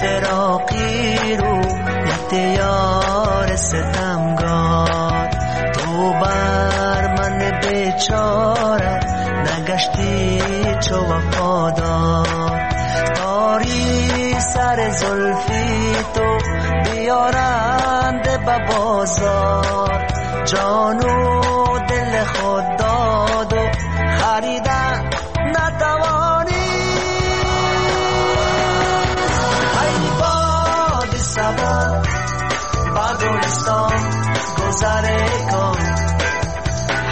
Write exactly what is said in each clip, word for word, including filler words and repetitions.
فراقی رویت یار ستمگار تو بر من بیچاره نگشتی چو وفادار تاری سر زلفی تو بیارند به بازار جانو دل خود داد و خریدن نتوانی ای باد صبا با گلستان گذر کن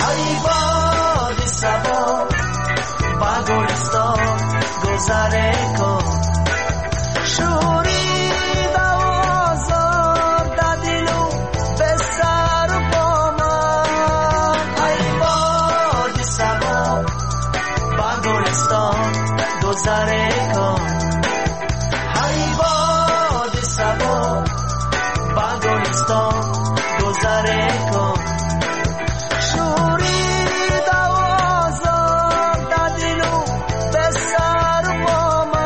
ای باد صبا با گلستان گذر کن شوریده و آزرده دلو به سر با من ای باد صبا با گلستان گذر کن ای باد صبا با گلستان گذر کن شوریده و آزرده دلو به سر با من.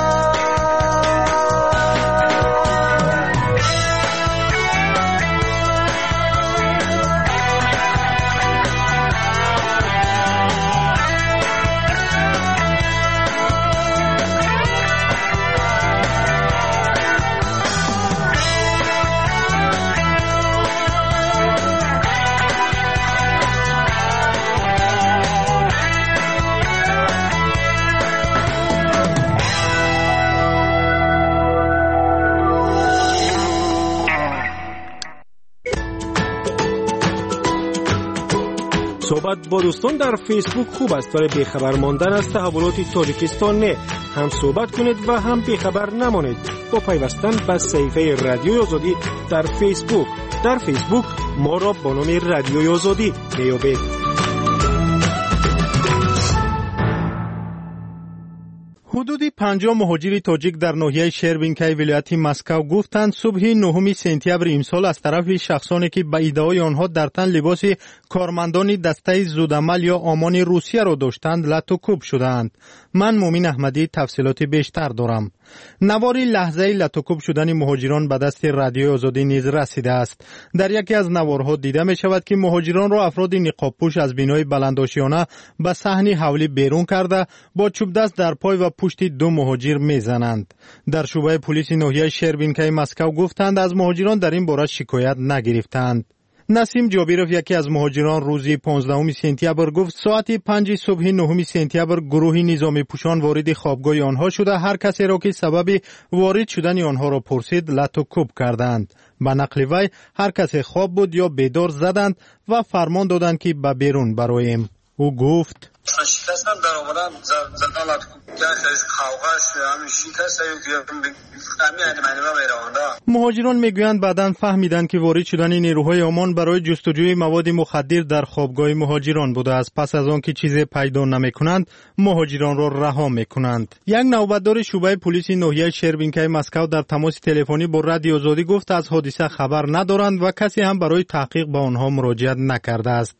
صحبت با دوستان در فیسبوک خوب است، ولی بیخبر ماندن از تحولات تاجیکستان نه. هم صحبت کنید و هم بیخبر نمانید با پیوستن به صحیفه رادیوی آزادی در فیسبوک. در فیسبوک ما را با نام رادیوی آزادی می‌یابید. حدود پنجاه مهاجر تاجیک در ناحیه شربینکای ولایت مسکو گفتند صبح نهم سپتامبر امسال از طرف شخصانی که به ادعای آنها در تن لباس کارمندان دسته زودعمل یا آمان روسیه را داشتند لت و کوب شدند. من مومین احمدی تفصیلات بیشتر دارم. نوار لحظه لت و کوب شدن مهاجران به دست رادیو آزادی نیز رسیده است. در یکی از نوارها دیده می شود که مهاجران را افراد نقاب پوش از بینای بلندآشیانه به صحن حولی بیرون کرده با چوب دست در پای و پشت دو مهاجر میزنند. در شعبه پلیس ناحیه شربینکای مسکو گفتند از مهاجران در این باره شکایت نگرفتند. نسیم جابیروف یکی از مهاجران روزی پانزدهم سپتامبر گفت ساعت پنج صبح نهم سپتامبر گروه نظامی پوشان وارد خوابگاه آنها شده هر کسی را که سبب وارد شدن آنها را پرسید لت و کوب کردند. به نقل وی هر کسی خواب بود یا بیدار زدند و فرمان دادند که به بیرون برویم. او گفت شکستن در آمدن زدن لت کوب مهاجران میگویند بعداً فهمیدند که وارد شدن نیروهای آمان برای جستجوی مواد مخدر در خوابگاه مهاجران بوده است. پس از آن که چیز پیدا نمیکنند مهاجران را رها میکنند. یک نوبتدار شعبه پلیس ناحیه شربینکای مسکو در تماس تلفنی با رادیو آزادی گفت از حادثه خبر ندارند و کسی هم برای تحقیق به آنها مراجعت نکرده است.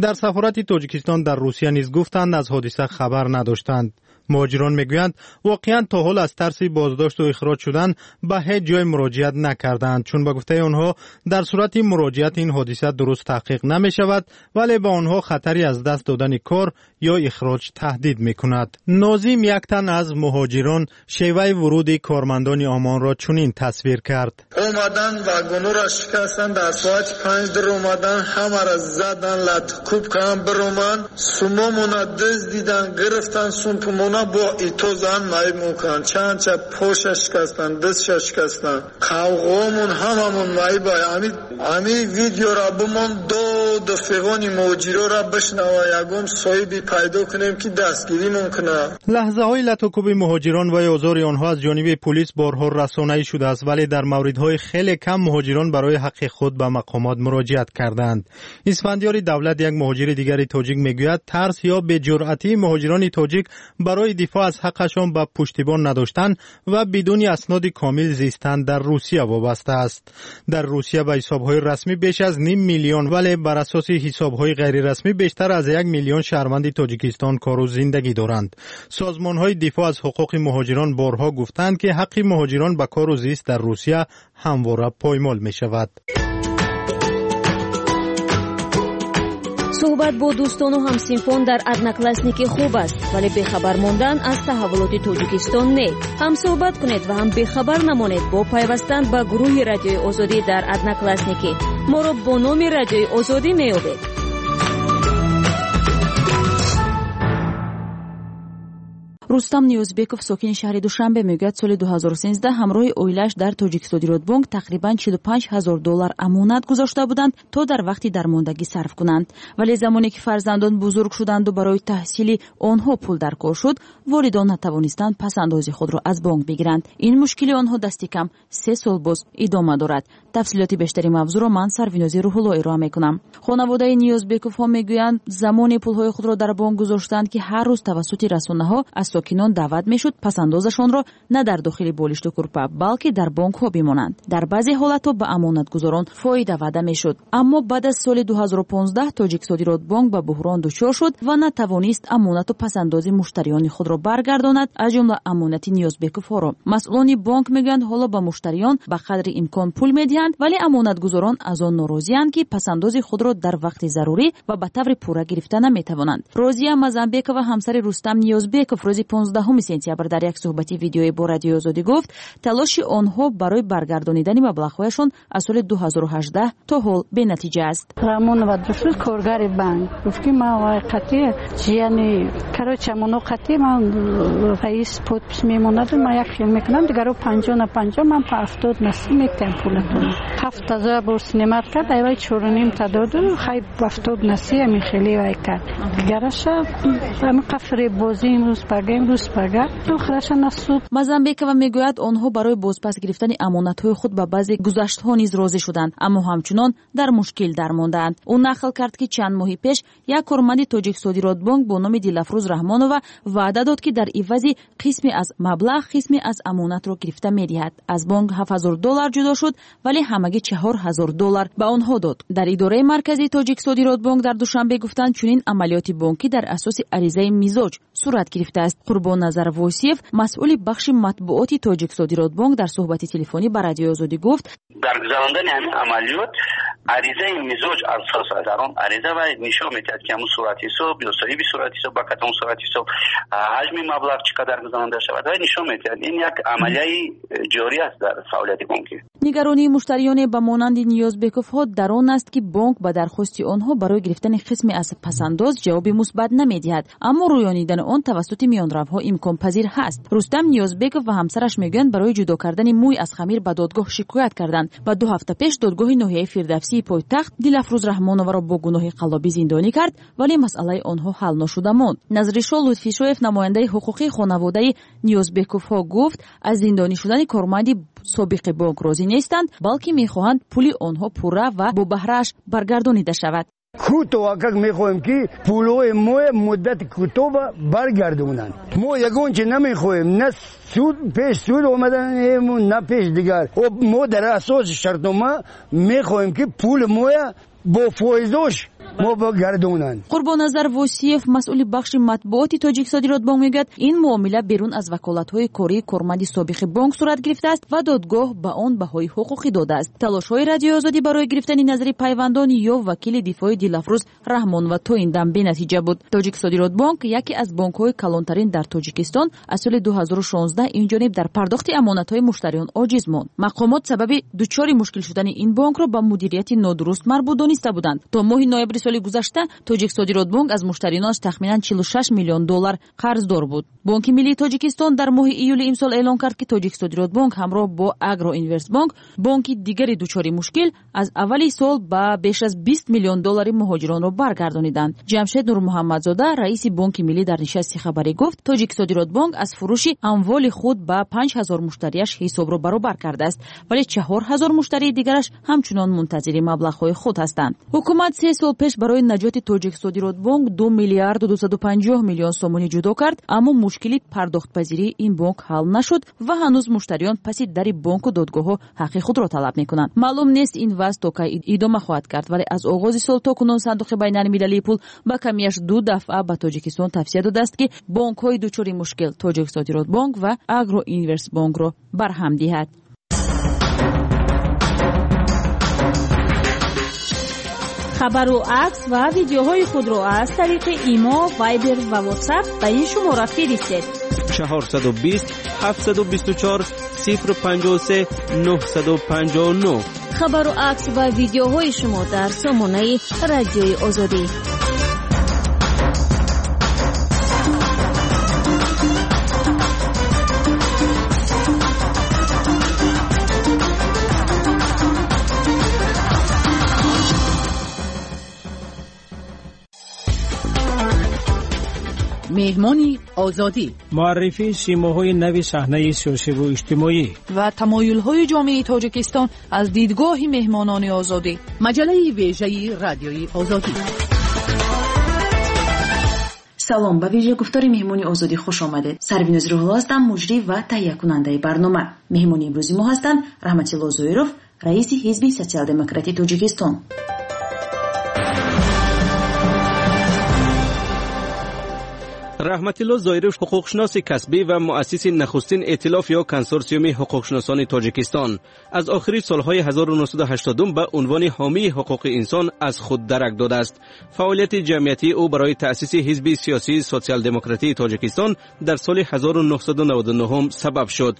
در سفارت تاجیکستان در روسیه نیز گفتند از حادثه خبر نداشتند. مهاجران میگویند واقعا تا حال از ترس بازداشت و اخراج شدن به هیچ جای مراجعت نکردند، چون به گفته آنها در صورت مراجعت این حادثه درست تحقیق نمی شود، ولی به آنها خطری از دست دادن کار یا اخراج تهدید می کند. ناظم یک تن از مهاجران شیوه ورود کارمندان آمان را چنین تصویر کرد: اومدن واگن را شکستن، در ساعت پنج در اومدن، همه را زدن، لت کوب کردن برومن، سوممون دزدیدن، گرفتن سوممون با ایتو زن معیب میکنن، چند چه پوش شکستن، دست شکستن، قوقمون هممون معیب. امی امی ویدیو را بمون دو دفعه مهاجرا را بشنوه یگم صاحبی پیدا کنیم که دستگیری ممکنه. لحظه های لت و کوب مهاجران و آزار آنها از جانب پلیس بارها رسانه‌ای شده است، ولی در موردهای خیلی کم مهاجران برای حق خود به مقامات مراجعت کردند. اسفندیار دولت یک مهاجر دیگر تاجیک میگوید ترس یا بی‌جرأتی مهاجران تاجیک برای دفاع از حقشان به پشتیبان نداشتن و بدون اسناد کامل زیستن در روسیه وابسته است. در روسیه به حساب‌های رسمی بیش از نیم میلیون، ولی بر اساس асоси ҳисобҳои ғайрирасмӣ бештар аз як миллион шаҳрванди Тоҷикистон кору зиндагӣ доранд. Созмонҳои дифоъ аз ҳуқуқи муҳоҷирон борҳо гуфтанд, ки ҳаққи муҳоҷирон ба кору зист дар Русия ҳамвора поймол мешавад. Суҳбат бо дӯстону ҳамсинфон дар Одноклассники хуб аст, вале бехабар мондан аз таҳаввулоти Тоҷикистон не. Ҳам суҳбат кунед ва ҳам бехабар намонед бо пайвастан ба гурӯҳи Радиои Озодӣ дар Одноклассники. Моро бо номи Радиои Озодӣ меёбед. Рустам Ниёзбеков, сокини шаҳри Душанбе, мегӯяд соли ду ҳазору сенздаҳ ҳамроҳи оилааш дар Тоҷиксодиротбонк тақрибан чилу панҷ ҳазор доллар амонат гузошта буданд, то дар вақти дармондагӣ сарф кунанд. Вале замоне ки фарзандон бузург шуданду барои таҳсили онҳо пул даркор шуд, волидон натавонистанд пасандози худро аз бонк бигиранд. Ин мушкили онҳо дасти кам се сол боз идома дорад. Тафсилоти бештари мавзӯъро ман Сарвинози Рӯҳулло ироа мекунам. Хонаводаи Ниёзбековҳо мегӯянд, замоне пулҳои худро дар бонк гузоштанд, ки ҳар рӯз тавассути расонаҳо аз сокинон даъват мешуд пасандозашонро на дар дохили болишту курпа, балки дар бонкҳо бимонанд. Дар баъзе ҳолатҳо ба амонатгузорон фоида ваъда мешуд. Аммо баъд аз соли ду ҳазору понздаҳ Тоҷиксодиротбонк ба буҳрон дучор шуд ва натавонист амонату пасандози муштариёни худро баргардонад, аз ҷумла амонати Ниёзбековҳоро. Масъулони бонк мегӯянд, ҳоло ба муштариён ба қадри имкон пул медиҳанд, вале амонатгузорон аз он норозианд, ки пасандози худро дар вақти зарурӣ ва ба таври пурра гирифта наметавонанд. Розия Мазамбекова, ҳамсари Рустам Ниёзбеков, рӯзи понздаҳуми сентябр дар як суҳбати видеоӣ бо Радиои Озодӣ гуфт, талоши онҳо барои баргардонидани маблағҳояшон аз соли ду ҳазору ҳаждаҳ то ҳол бенатиҷа аст. Рамонова душуд, коргари банк, гуфт ки ман вай қатъи ҷияни короче амоно қатъи ман раис подпись мемонаду ман як хел мекунам, дигаро панҷоҳ на панҷоҳ, ман па ҳафтод на си метиҳам пулатон. Ҳафт ҳазор бор синемат кард, айвай чору ним та доду, хай ҳафтод на си ҳамин хеле вай кард. Дигараша ҳамин қафре бозӣ имрӯз пага, имрӯз пага, охираша насуд. Мазамбекова мегӯяд, онҳо барои бозпас гирифтани амонатҳои худ ба баъзе гузаштҳо низ розӣ шуданд, аммо ҳамчунон дар мушкил дармондаанд. Ӯ нақл кард, ки чанд моҳи пеш як корманди Тоҷиксодиротбонк бо номи Дилафрӯз Раҳмонова ваъда дод, ки дар ивази қисме аз маблағ қисме аз амонатро гирифта медиҳад. Аз бонк ҳафт ҳазор доллар ҷудо шуд, вале ҳамагӣ чаҳор ҳазор доллар ба онҳо дод. Дар идораи марказии Тоҷиксодиротбонк дар Душанбе гуфтанд, чунин амалиёти бонкӣ дар асоси аризаи мизоҷ сурат гирифтааст. Қурбонназар Восиев, масъули бахши матбуоти Тоҷиксодиротбонк, дар суҳбати телефонӣ ба Радиои Озодӣ гуфт, дар гузарондани ҳамин амалиёт аризаи мизоҷ асос аст. Дар он ариза вай нишон медиҳад, ки ҳамун суратҳисоб ё соҳиби суратҳисоб ба кадом суратҳисоб ҳаҷми маблағ чӣ қадар гузаронда шавад, вай нишон медиҳад. Ин як амалияи ҷорӣ аст дар фаъолияти бонкӣ. Нигаронии муштариёне ба монанди Ниёзбековҳо дар он аст, ки бонк ба дархости онҳо барои гирифтани қисме аз пасандоз ҷавоби мусбат намедиҳад, аммо рӯёнидани он тавассути миёнравҳо имконпазир ҳаст. Рустам Ниёзбеков ва ҳамсараш мегӯянд, барои ҷудо кардани мӯй аз хамир ба додгоҳ шикоят карданд ва ду ҳафта пеш додгоҳи ноҳияи Фирдавсии пойтахт Дилафрӯз Раҳмоноваро бо гуноҳи қаллобӣ зиндонӣ кард, вале масъалаи онҳо ҳал нашуда монд. Назришо Лутфишоев, намояндаи ҳуқуқии хонаводаи Ниёзбековҳо, гуфт, аз зиндонӣ шудани корманди собиқи бонк розӣ нестанд, балки мехоҳанд пули онҳо пурра ва бо баҳрааш баргардонида шавад. Кӯтоҳ как мехоҳем, ки пулҳои мо муддати кӯтоҳ баргардонанд. Мо ягон чи намехоҳем, на суд пеш суд омаданем, на пеш дигар. Мо дар асоси шартнома мехоҳем, ки пули моя бо фоизош мо баргардонанд. Қурбонназар Восиев, масъули бахши матбуоти Тоҷиксодиротбонк, мегӯяд, ин муомила берун аз ваколатҳои кории корманди собиқи бонк сурат гирифтааст ва додгоҳ ба он баҳои ҳуқуқӣ додааст. Талошҳои Радиои Озодӣ барои гирифтани назари пайвандон ё вакили дифои Дилафрӯз Раҳмонова то ин дам бенатиҷа буд. Тоҷиксодиротбонк яке аз бонкҳои калонтарин дар Тоҷикистон аз соли ду ҳазору шонздаҳ инҷониб дар пардохти амонатҳои муштариён оҷиз монд. Мақомот сабаби дучори мушкил шудани ин бонкро ба мудирияти нодуруст марбут дониста буданд. То моҳи ноябри соли гузашта Тоҷиксодиротбонк аз муштариёнаш тахминан чилу шаш миллион доллар қарздор буд. Бонки миллии Тоҷикистон дар моҳи июли имсол эълон кард, ки Тоҷиксодиротбонк ҳамроҳ бо Агроинвестбонк, бонки дигари дучори мушкил, аз аввали сол ба беш аз бист миллион доллари муҳоҷиронро баргардониданд. Ҷамшед Нурмуҳаммадзода, раиси Бонки миллӣ, дар нишасти хабарӣ гуфт, Тоҷиксодиротбонк аз фурӯши амволи худ ба панҷ ҳазор муштарияш ҳисобро баробар кардааст, вале чаҳор ҳазор муштарии дигараш ҳамчунон мунтазири маблағҳои худ ҳастанд. Ҳукумат се сол пеш пеш барои наҷоти Тоҷиксодиротбонк ду миллиарду дусаду панҷоҳ миллион сомонӣ ҷудо кард, аммо мушкили пардохтпазирии ин бонк ҳал нашуд ва ҳанӯз муштариён паси дари бонку додгоҳҳо ҳаққи худро талаб мекунанд. Маълум нест ин вазъ то кай идома хоҳад кард, вале аз оғози сол то кунун Сандуқи байналмилалии пул ба камияш ду дафъа ба Тоҷикистон тавсия додааст, ки бонкҳои дучори мушкил Тоҷиксодиротбонк ва Агроинвестбонкро барҳам диҳад. Хабару акс ва видеоҳои худро аз тариқи Имо, Вайбер ва Ватсап ба ин шумора фиристед: чорсаду бист, ҳафтсаду бисту чор, сифр панҷоҳу се, нӯҳсаду панҷоҳу нӯҳ. Хабару акс ва видеоҳои шумо дар сомонаи Радиои Озодӣ. Меҳмони Озодӣ, муаррифии симоҳои нави саҳнаи сиёсиву иҷтимоӣ ва тамоюлҳои ҷомеаи Тоҷикистон аз дидгоҳи меҳмонони Озодӣ. Маҷаллаи вежаи Радиои Озодӣ. Салом, ба вижа гуфтори меҳмони Озодӣ хуш омадед. Сарвиноз Рӯҳулло ҳастам, муҷрӣ ва таҳиякунандаи барнома. Меҳмони имрӯзи мо ҳастанд Раҳматилло Зоиров, раиси Ҳизби Социал-демократии Тоҷикистон. Раҳматилло Зоиров ҳуқуқшиноси касбӣ ва муассиси нахустин эътилоф ё консорсиуми ҳуқуқшиносони Тоҷикистон аз охири солҳои ҳазору нӯҳсаду ҳаштоду ба унвони ҳомии ҳуқуқи инсон аз худ дарак додааст. Фаъолияти ҷамъиятии ӯ барои таъсиси ҳизби сиёсии социал-демократии Тоҷикистон дар соли ҳазору нӯҳсаду наваду нӯҳум сабаб шуд.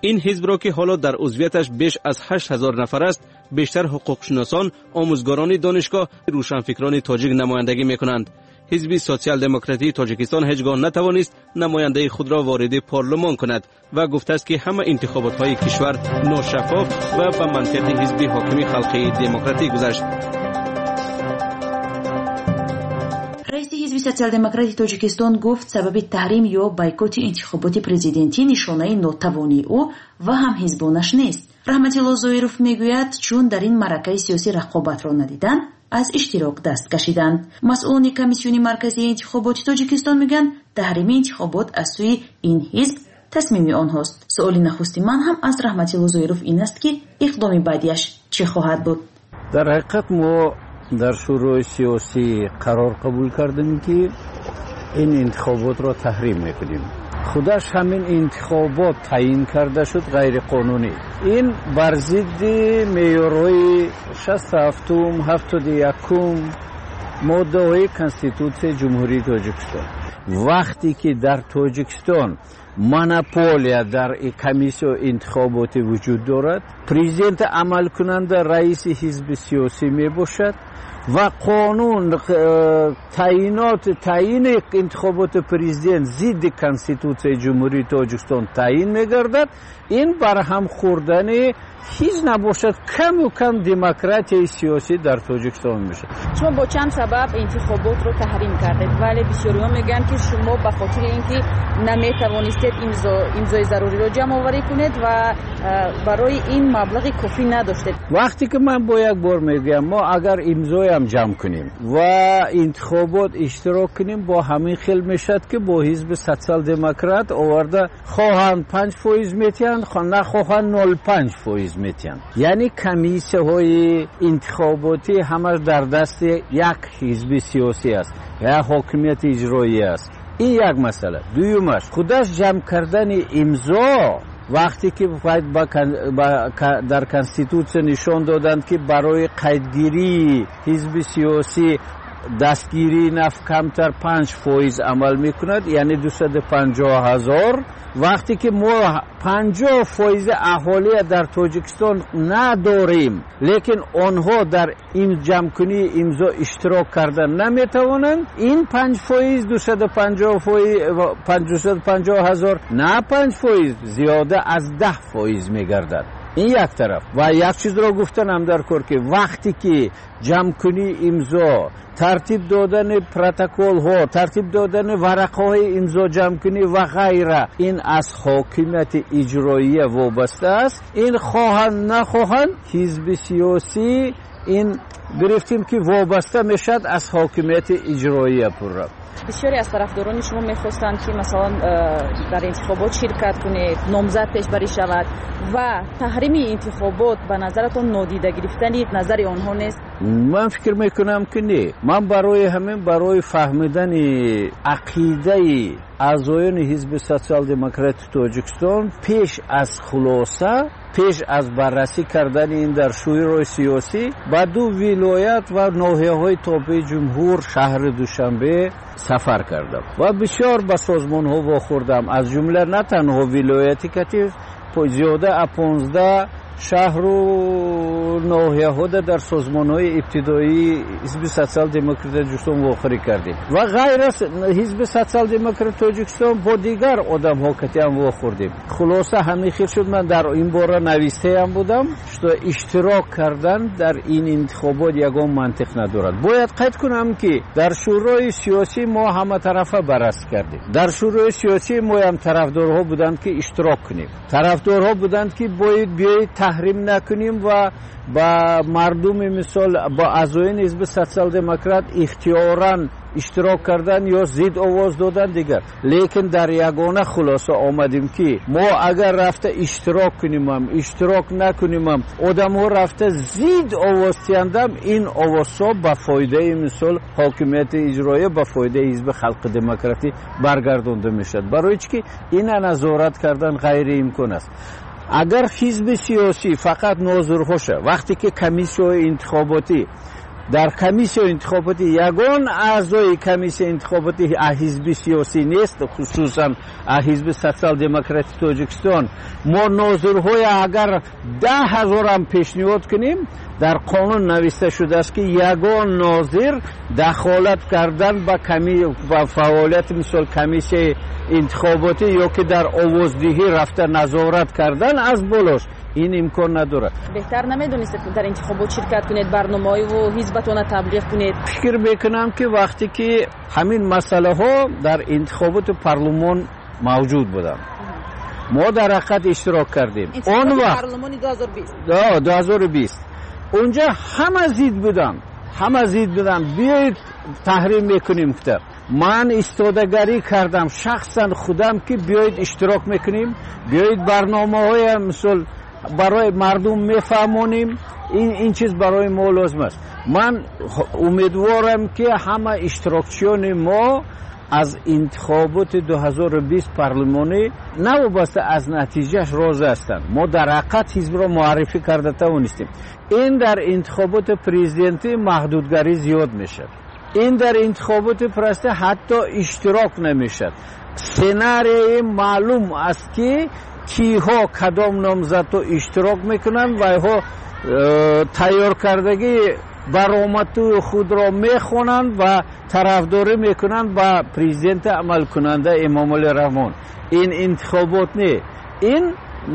Ин ҳизбро, ки ҳоло дар узвияташ беш аз ҳашт ҳазор нафар аст, бештар ҳуқуқшиносон, омӯзгорони донишгоҳ, рӯшанфикрони тоҷик намояндагӣ мекунанд. Ҳизби социал-демократии Тоҷикистон ҳеҷ гоҳ натавонист намояндаи худро вориди парлумон кунад ва гуфтааст, ки ҳама интихоботҳои кишвар ношаффоф ва ба манфиати ҳизби ҳокими халқии демократӣ гузашт. Раиси Ҳизби Социал-демократии Тоҷикистон гуфт, сабаби таҳрим ё бойкоти интихоботи президентӣ нишонаи нотавонии ӯ ва ҳамҳизбонаш нест. Раҳматилло Зоиров мегӯяд, чун дар ин маъракаи сиёсӣ рақобатро надиданд, аз иштирок даст кашиданд. Масъулони Комиссиони марказии интихоботи Тоҷикистон мегӯянд, таҳрими интихобот аз сӯи ин ҳизб тасмими онҳост. Суоли нахусти ман ҳам аз Раҳматилло Зоиров ин аст, ки иқдоми баъдиаш чӣ хоҳад буд? Дар ҳақиқат мо дар шӯрои сиёсӣ қарор қабул кардем, ки ин интихоботро таҳрим мекунем. Худаш ҳамин интихобот таъин карда шуд ғайриқонунӣ. Ин бар зидди меъёрҳои шасту ҳафтум, ҳафтоду якум моддаҳои Конститутсияи Ҷумҳурии Тоҷикистон. Вақте ки дар Тоҷикистон монополия дар комиссияи интихоботӣ вуҷуд дорад, президент амалкунанда раиси ҳизби сиёсӣ мебошад ва қонун таъинот таъини интихоботи президент зидди Конститутсияи Ҷумҳурии Тоҷикистон таъин мегардад. Ин барҳам хӯрдани ҳеҷ набошад каму кам демократияи сиёсӣ дар Тоҷикистон мешавад. Шумо бо чанд сабаб интихоботро таҳрим кардед, вале бисёриҳо мегӯянд, ки шумо ба хотири ин ки наметавонистед имзои заруриро ҷамъоварӣ кунед ва барои ин маблағи кофӣ надоштед. Вақте ки ман бо як бор мегӯям, мо агар имзоям ҷамъ кунем ва интихобот иштирок кунем, бо ҳамин хел мешавад, ки бо ҳизби социал-демократ оварда хоҳанд панҷ фоиз метиҳанд, нахоҳанд нол панҷ фоиз метиҳанд. Яъне комиссияҳои интихоботӣ ҳамаш дар дасти як ҳизби сиёсӣ аст, як ҳокимияти иҷроӣ аст. Ин як масъала. Дуюмаш, худаш ҷамъ кардани имзо вақте ки дар Конститутсия нишон доданд, ки барои қайдгирии ҳизби сиёсӣ дастгирии наф камтар панҷ фоиз амал мекунад, яъне дусаду панҷоҳ ҳазор. Вақте ки мо панҷоҳ фоизи аҳолия дар Тоҷикистон надорем, лекин онҳо дар ин ҷамъкунии имзо иштирок карда наметавонанд, ин панҷ фоиз дусаду панҷоҳ ҳазор на панҷ фоиз, зиёда аз даҳ фоиз мегардад. Ин як тараф. Ва як чизро гуфтанам дар кор, ки вақте ки ҷамъкунии имзо, тартиб додани протоколҳо, тартиб додани варақаҳои имзо ҷамъкунӣ ва ғайра, ин аз ҳокимияти иҷроия вобаста аст. Ин хоҳанд нахоҳанд ҳизби сиёсӣ Ин гирифтем ки вобаста мешавад аз ҳокимияти иҷроия пурра. Бисёре аз тарафдорони шумо мехостанд, ки масалан дар интихобот ширкат кунед, номзад пешбарӣ шавад ва таҳрими интихобот ба назаратон нодида гирифтани назари онҳо нест? Ман фикр мекунам, ки не. Ман барои ҳамин, барои фаҳмидани ақидаи аъзоёни ҳизби Социал-демократи Тоҷикистон пеш аз хулоса, пеш аз баррасӣ кардани ин дар шӯрои сиёсӣ ба ду вилоят ва ноҳияҳои тобеи ҷумҳур, шаҳри Душанбе сафар кардам ва бисёр ба созмонҳо вохӯрдам, аз ҷумла на танҳо вилояти катиф, зиёда аз понздаҳ шаҳру ноҳияҳода дар созмонҳои ибтидоии ҳизби Социал-демократи Тоҷикистон вохӯрӣ кардем ва ғайр аз ҳизби Социал-демократи Тоҷикистон бо дигар одамҳо катиам вохӯрдем. Хулоса ҳамин хел шуд. Ман дар ин бора навистаям будам, что иштирок кардан дар ин интихобот ягон мантиқ надорад. Бояд қайд кунам, ки дар шӯрои сиёсӣ мо ҳаматарафа баррасӣ кардем. Дар шӯрои сиёсӣ моям тарафдорҳо буданд, ки иштирок кунем, тарафдорҳо буданд, ки бояд биёед таҳрим накунем ва ба мардуми, мисол, ба аъзоёни ҳизби Социал-демократ ихтиёран иштирок кардан ё зид овоз додан дигар. Лекин дар ягона хулоса омадем, ки мо агар рафта иштирок кунимам, иштирок накунимам, одамҳо рафта зид овоз диҳандам, ин овозҳо ба фоидаи, мисол, ҳокимияти иҷроия, ба фоидаи ҳизби Халқи демократӣ баргардонда мешавад, барои чӣ ки ина назорат кардан ғайриимкон аст. Агар ҳизби сиёсӣ фақат нозирҳоша, вақте ки комиссияҳои интихоботӣ, дар комиссияи интихоботӣ ягон аъзои комиссияи интихоботӣ аз ҳизби сиёсӣ нест, хусусан аз ҳизби Социал-демократи Тоҷикистон, мо нозирҳоя агар даҳ ҳазорам пешниҳод кунем, дар қонун нависта шудааст, ки ягон нозир дахолат кардан ба ба фаъолияти, мисол, комиссияи интихоботӣ ё ки дар овоздиҳӣ рафта назорат кардан аз болош, ин имкон надорад. Беҳтар намедонистед дар интихобот ширкат кунед, барномаҳоиву ҳизбатона таблиғ кунед? Фикр мекунам, ки вақте ки ҳамин масъалаҳо дар интихоботи парлумон мавҷуд буданд, мо дар ҳақиқат иштирок кардем. Он вақт парлумони ду ҳазору бист. ду ҳазору бист унҷа ҳама зид буданд, ҳама зид буданд, биёед таҳрим мекунем гуфта. Ман истодагарӣ кардам шахсан худам, ки биёед иштирок мекунем, биёед барномаҳоя, мисол, барои мардум мефаҳмонем, ин ин чиз барои мо лозим аст. Ман умедворам, ки ҳама иштирокчиёни мо аз интихоботи ду ҳазору бист парлумонӣ навобаста аз натиҷааш розӣ ҳастанд. Мо дар ҳақиқат ҳизбро муаррифӣ карда тавонистем. Ин дар интихоботи президентӣ маҳдудгарӣ зиёд мешавад, ин дар интихоботи президентӣ ҳатто иштирок намешавад. Сценарии маълум аст, ки киҳо, кадом номзадҳо иштирок мекунанд ва инҳо э, тайёр кардагии баромадҳои худро мехонанд ва тарафдорӣ мекунанд ба президенти амалкунанда Эмомалӣ Раҳмон. Ин интихобот не, ин,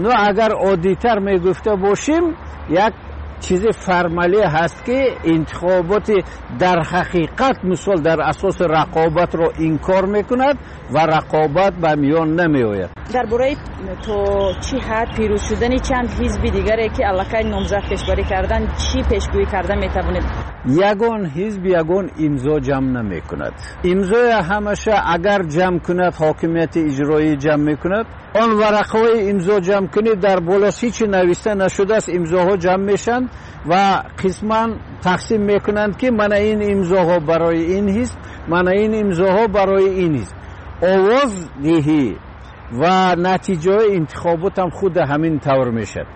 ну, агар оддитар мегуфта бошем, як чизи формалӣ ҳаст, ки интихоботи дар ҳақиқат, мисол, дар асоси рақобатро инкор мекунад ва рақобат ба миён намеояд. Дар бораи то чӣ ҳад пирӯз шудани чанд ҳизби дигаре, ки аллакай номзад пешбарӣ кардан, чӣ пешгӯӣ карда метавонед? Ягон ҳизб ягон имзо ҷамъ намекунад. Имзоя ҳамаша агар ҷамъ кунад, ҳокимияти иҷроӣ ҷамъ мекунад. Он варақаҳои имзо ҷамъ кунед, дар болош ҳичи нависта нашудааст. Имзоҳо ҷамъ мешаванд ва қисман тақсим мекунанд, ки мана ин имзоҳо барои ин ҳизб, мана ин имзоҳо барои ин ҳизб. Овоз диҳӣ ва натиҷаҳои интихоботам худ ҳамин тавр мешавад.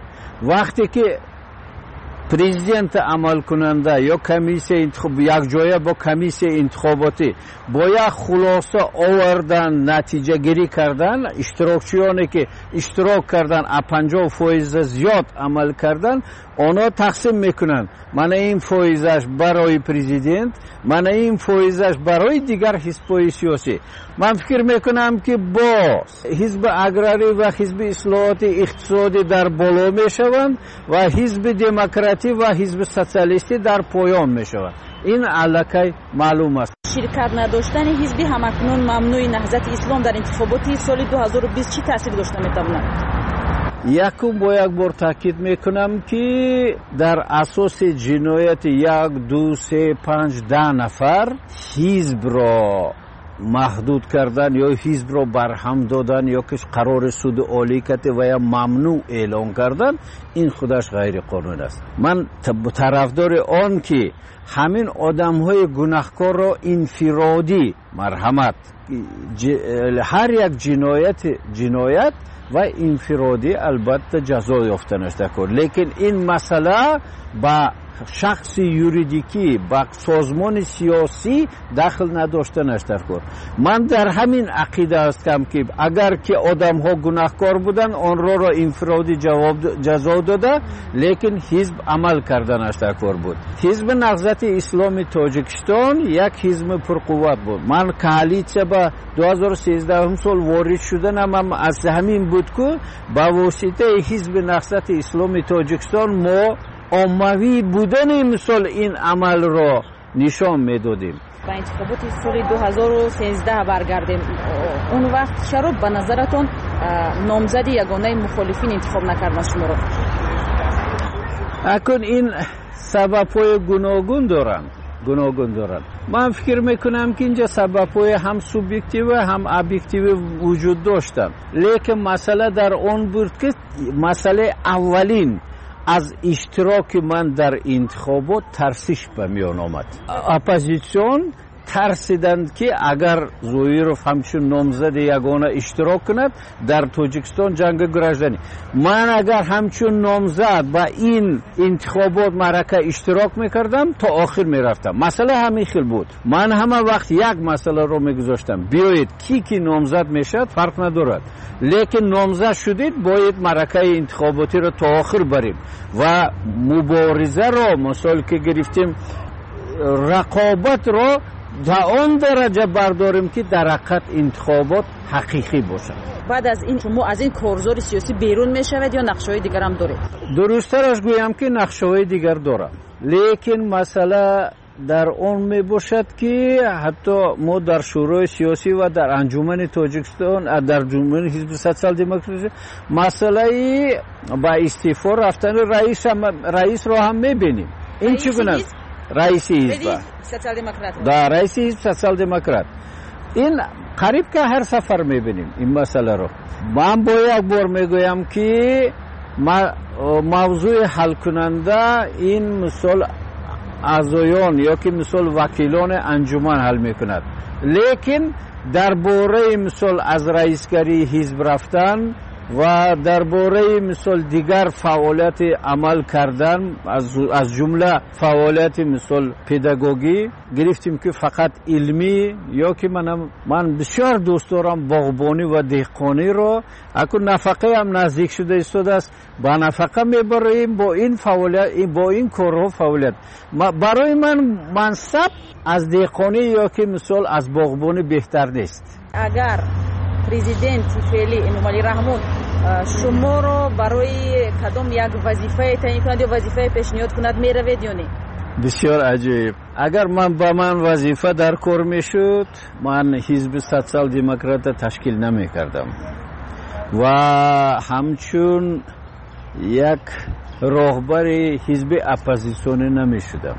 Вақте ки президенти амалкунанда ё комиссия якҷоя бо комиссияи интихоботӣ бо як хулоса овардан, натиҷагирӣ кардан, иштирокчиёне ки иштирок кардан, аз панҷоҳ фоиза зиёд амал кардан, онҳо тақсим мекунанд: мана ин фоизаш барои президент, мана ин фоизаш барои дигар ҳизбҳои сиёсӣ. Ман фикр мекунам, ки бо ҳизби аграрӣ ва ҳизби ислоҳоти иқтисодӣ дар боло мешаванд ва ҳизби демократӣ ва ҳизби социалистӣ дар поён мешаванд. Ин аллакай маълум аст. Ширкат надоштани ҳизби ҳамакнун мамнӯи Наҳзати Ислом дар интихоботи соли ду ҳазору бист чӣ таъсир дошта метавонад? Якум бо як бор таъкид мекунам, ки дар асоси ҷинояти як, ду, се, панҷ, даҳ нафар ҳизбро маҳдуд кардан ё ҳизбро барҳам додан ё ки қарори суди олӣ кати ва ё мамнӯъ эълон кардан, ин худаш ғайриқонун аст. Ман тарафдори он ки ҳамин одамҳои гунаҳкорро инфиродӣ марҳамат, ҳар як ҷиноят ҷиноят ва инфиродӣ албатта ҷазо ёфтанаш даркор, лекин ин масъала ба шахси юридикӣ, ба созмони сиёсӣ дахл надоштанаш даркор. Ман дар ҳамин ақида ҳастам, ки агар ки одамҳо гунаҳкор буданд, онҳоро инфиродӣ ҷазо дода, лекин ҳизб амал карданаш даркор буд. Ҳизби Наҳзати Исломи Тоҷикистон як ҳизби пурқувват буд. Ман коалитсия ба ду ҳазору сездаҳум сол ворид шуданам ҳам аз ҳамин буд, ку ба воситаи ҳизби Наҳзати Исломи Тоҷикистон мо оммавӣ будани мисол ин амалро нишон медодем. Ба интихоботи соли ду ҳазору сездаҳ баргардем. Он вақт чаро ба назаратон номзади ягонаи мухолифин интихоб накарданд шуморо? Акун ин сабабҳои гуногун доранд, гуногун доранд. Ман фикр мекунам, ки инҷа сабабҳои ҳам субъективӣ, ҳам объективӣ вуҷуд доштанд, лекин масъала дар он буд, ки масъалаи аввалин аз иштироки ман дар интихобот тарсиш ба миён омад. Оппозитсион тарсиданд, ки агар Зоиров ҳамчун номзади ягона иштирок кунад, дар Тоҷикистон ҷанги гражданӣ. Ман агар ҳамчун номзад ба ин интихобот маърака иштирок мекардам, то охир мерафтам. Масъала ҳамин хел буд. Ман ҳама вақт як масъаларо мегузоштам: биёед, ки ки номзад мешавад, фарқ надорад, лекин номзад шудед, бояд маъракаи интихоботиро то охир барем ва муборизаро, мисол ки гирифтем, рақобатро до он дараҷа бардорем, ки дар ҳақиқат интихобот ҳақиқӣ бошад. Баъд аз ин шумо аз ин корзори сиёсӣ берун мешавед ё нақшаҳои дигарам доред? Дурусттараш гӯям, ки нақшаҳои дигар дорам, лекин масъала дар он мебошад, ки ҳатто мо дар шӯрои сиёсӣ ва дар анҷумани Тоҷикистон, дар анҷумани ҳизби социал-демократӣ масъалаи ба истеъфо рафтани раисро ҳам мебинем. Ин чӣ гуна раиси ҳизб? Да, раиси ҳизб социал-демократ. Ин қариб ки ҳар сафар мебинем ин масъаларо. Ман бо як бор мегӯям, ки мавзӯи ҳалкунанда ин мисол аъзоён ё ки мисол вакилони анҷуман ҳал мекунад, лекин дар бораи мисол аз раисгарии ҳизб рафтан ва дар бораи мисол дигар фаъолияти амал кардан, аз ҷумла фаъолияти мисол педагогӣ гирифтем, ки фақат илмӣ ё ки манам, ман бисёр дӯст дорам боғбонӣ ва деҳқониро. Акун нафақаам наздик шуда истодааст, ба нафақа мебароем бо ин фаъолият, бо ин корҳо фаъолият. Барои ман мансаб аз деҳқонӣ ё ки мисол аз боғбонӣ беҳтар нест. Агар президенти феълӣ Эмомалӣ Раҳмон шуморо барои кадом як вазифае таъин кунад ё вазифае пешниҳод кунад, меравед ё не? Бисёр аҷоиб. Агар ман ба ман вазифа дар кор мешуд, ман ҳизби социал-демократа ташкил намекардам ва ҳамчун як роҳбари ҳизби оппозитсионӣ намешудам.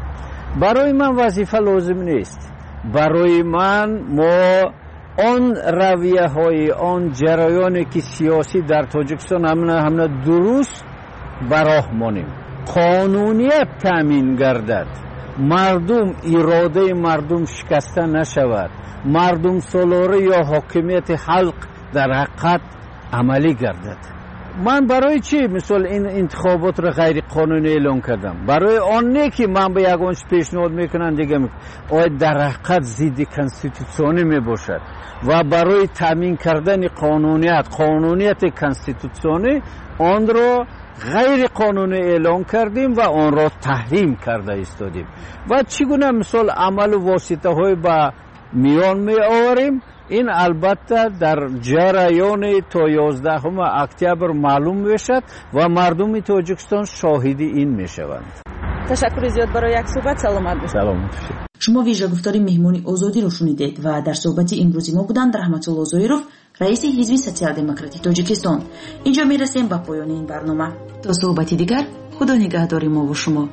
Барои ман вазифа лозим нест. Барои ман мо он равияҳои, он ҷараёне ки сиёсӣ дар Тоҷикистон ҳамна ҳамна дуруст ба роҳ монем, қонуният таъмин гардад, мардум, иродаи мардум шикаста нашавад, мардумсолорӣ ё ҳокимияти халқ дар ҳақиқат амалӣ гардад. Ман барои чӣ мисол ин интихоботро ғайриқонунӣ эълон кардам? Барои он не ки ман ба ягон чиз пешниҳод мекунам, дига оя дар ҳақиқат зидди конститутсионӣ мебошад ва барои таъмин кардани қонуният, қонунияти конститутсионӣ онро ғайриқонунӣ эълон кардем ва онро таҳрим карда истодем. Ва чӣ гуна мисол амалу воситаҳои ба миён меоварем, ин албатта дар ҷараёни то ёздаҳуми октябр маълум мешавад ва мардуми Тоҷикистон шоҳиди ин мешаванд. Ташаккури зиёд барои як суҳбат. Саломат бошед. Саломат бошед. Шумо вижагуфтори меҳмони Озодиро шунидед ва дар суҳбати имрӯзи мо буданд Раҳматулло Зоиров, раиси ҳизби Социал-демократи Тоҷикистон. Инҷо мерасем ба поёни ин барнома. То суҳбати дигар, Худо нигаҳдори мову шумо.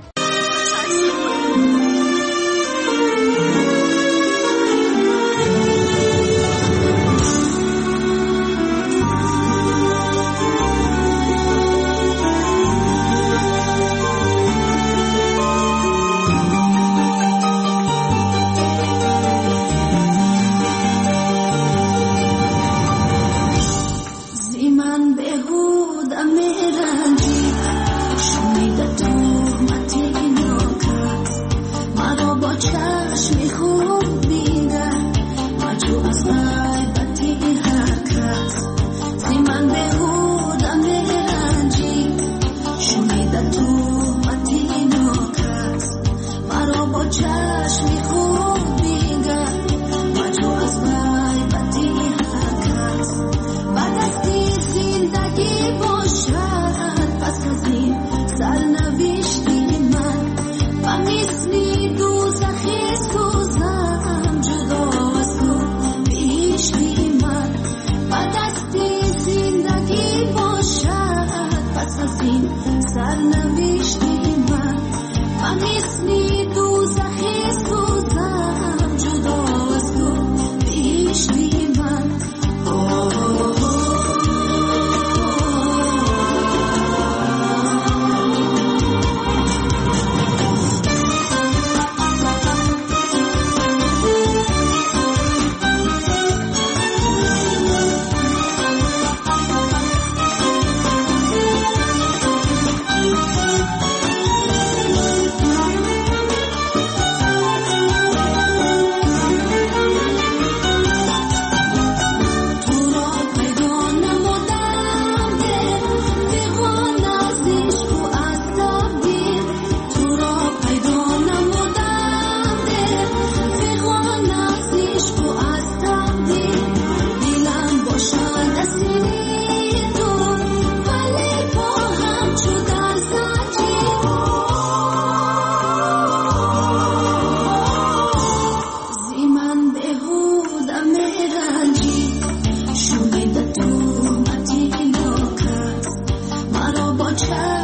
Child.